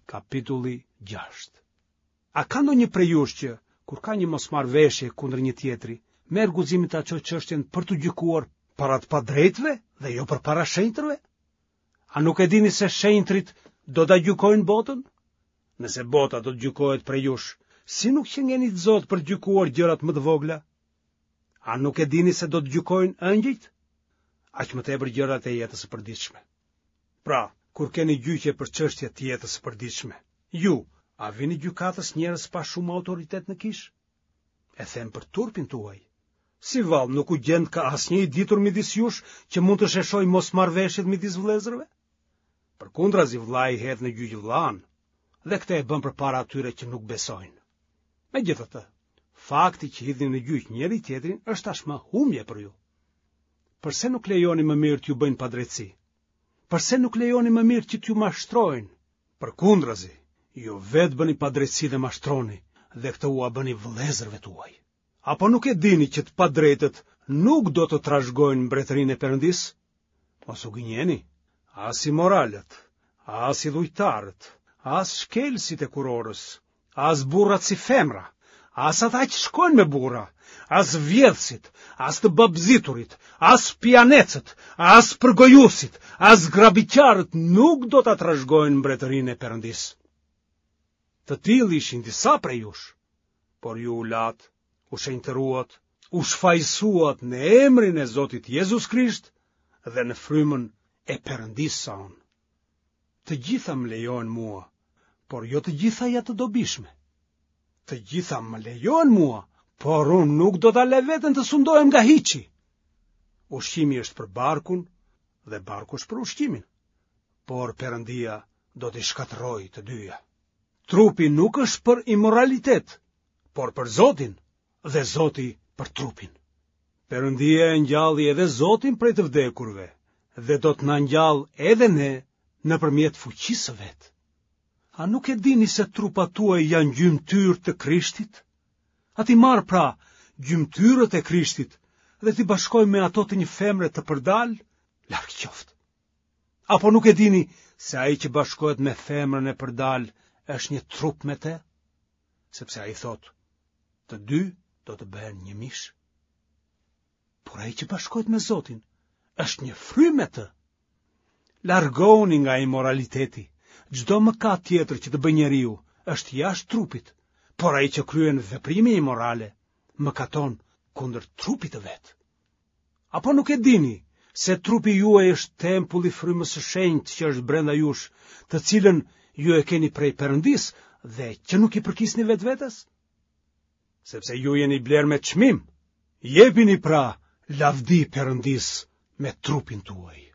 Kapitulli 6. A ka ndonjë prej jush që, kur ka një mosmarrëveshje kundër një tjetri, merr guximin ta çojë çështjen për t'u gjykuar para të padrejtëve dhe jo përpara shenjtërve? A nuk e dini se shenjtërit do ta gjykojnë botën? Nëse bota do të gjykohet prej jush, si nuk qenkeni të zotë për të gjykuar gjërat më të vogla? A nuk e dini se do të gjykojnë engjëjt? Aq më tepër gjërat e jetës së përditshme. Pra, kur keni gjyqe për çështje të jetës së përditshme, ju, a vini gjykatës njerëz pa shumë autoritet në kishë? E them për turpin tuaj. Si vallë nuk u gjendka asnjë i ditur midis jush që mund të sheshojë mosmarrëveshjet midis vëllezërve? Përkundrazi vëllai hedh në gjyq vëllanë, dhe këtë e bën përpara atyre që nuk besojnë. Megjithatë, fakti që hidhni në gjyq njëri-tjetrin është tashmë humbje për ju. Përse nuk lejoni më mirë t'ju bëjnë padrejtësi? Përse nuk lejoni më mirë që t'ju mashtrojnë? Përkundrazi, ju vetë bëni padrejtësi dhe mashtroni, dhe këtë ua bëni vëllezërve tuaj. Apo nuk e dini që të padrejtët nuk do të trashëgojnë mbretërinë e Perëndisë? Mos u gënjeni, as imoralët, as idhujtarët, as shkelësit e kurorës, as burrat si femra, as ata që shkojnë me burra, as vjedhësit, as të babëziturit, as pijanecët, as përgojuesit, as grabitqarët nuk do ta trashëgojnë mbretërinë e Perëndisë. Të tillë ishin disa prej jush, por ju u latë, u shenjtëruat, u shfajësuat në emrin e Zotit Jezus Krisht dhe në frymën e Perëndisë sonë. Të gjitha më lejohen mua, por jo të gjitha janë të dobishme. Të gjitha më lejohen mua, por unë nuk do ta lë veten të sundohem nga hiçi. Ushqimi është për barkun dhe barku është për ushqimin. Por Perëndia do t'i shkatërrojë të dyja. Trupi nuk është për imoralitet, por për Zotin dhe Zoti për trupin. Perëndia e ngjalli edhe Zotin prej të vdekurve dhe do të na ngjallë edhe ne nëpërmjet fuqisë së vet. A nuk e dini se trupat tuaj janë gjymtyrë të Krishtit? A t'i marr pra gjymtyrët e Krishtit dhe t'i bashkoj me ato të një femre të përdalë? Larg qoftë. Apo nuk e dini se ai që bashkohet me femrën e përdalë është një trup me të? Sepse ai thotë, të dy do të bëhen një mish. Por ai që bashkohet me Zotin është një frymë me të. Largohuni nga imoraliteti. Çdo mëkat tjetër që të bëjë njeriu është jashtë trupit, por ai që kryen veprime imorale mëkaton kundër trupit të vet. Apo nuk e dini se trupi juaj është tempulli i frymës së shenjtë që është brenda jush, të cilën ju e keni prej Perëndisë dhe që nuk i përkisni vetvetes? Sepse ju jeni blerë me çmim. Jepini pra lavdi Perëndisë me trupin tuaj.